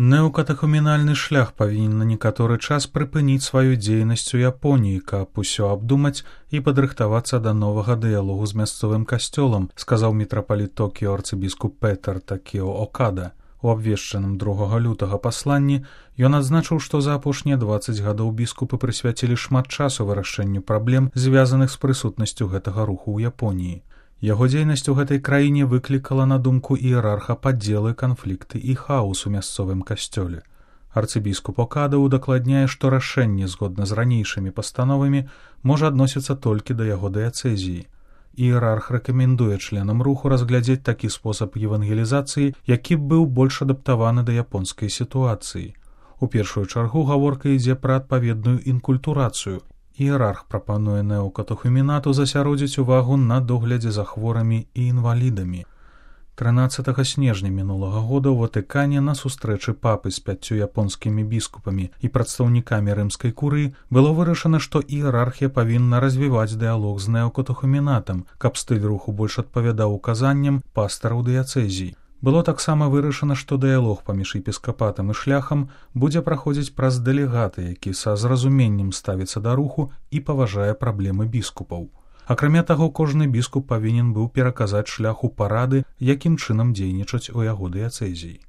Неокатехумінальны шлях павінен на некаторы час прыпыніць сваю дзейнасць у Японіі, каб усё абдумаць і падрыхтавацца да новага дыялогу з мясцовым касцёлам, сказаў мітрапаліт Токіё арцыбіскуп Петар Такео Окада. У абвешчаным 2 лютага пасланні ён адзначыў, што за апошнія 20 гадоў біскупы прысвяцілі шмат часу вырашэнню праблем, звязаных з прысутнасцю гэтага руху ў Японіі. Яго дзейнасць у гэтай краіне выклікала на думку іерарха падзелы, канфлікты і хаос у мясцовым касцёле. Арцыбіскуп Окада удакладняе, што рашэнне згодна з ранейшымі пастановамі можа адносіцца толькі да яго дыяцэзіі. Іерарх рэкамендуе членам руху разглядзець такі спосаб евангелізацыі, які б быў больш адаптаваны да японскай сітуацыі. У першую чаргу гаворка ідзе пра адпаведную інкультурацыю. Іерарх прапануе неокатехумінату засяродзіць увагу на доглядзе за хворымі і інвалідамі. 13 снежня мінулага года ў Ватыкане на сустрэчы папы з 5 японскімі біскупамі і прадстаўнікамі рымскай курыі было вырашана, што іерархія павінна развіваць дыялог з неокатехумінатам, каб стыль руху больш адпавядаў указанням пастараў дыяцэзій. Было таксама вырашана, што дыялог паміж епіскапатам і шляхам будзе праходзіць праз дэлегата, які са зразуменнем ставіцца да руху і паважае праблемы біскупаў. Акрамя таго, кожны біскуп павінен быў пераказаць шляху парады, якім чынам дзейнічаць у яго дыяцэзіі.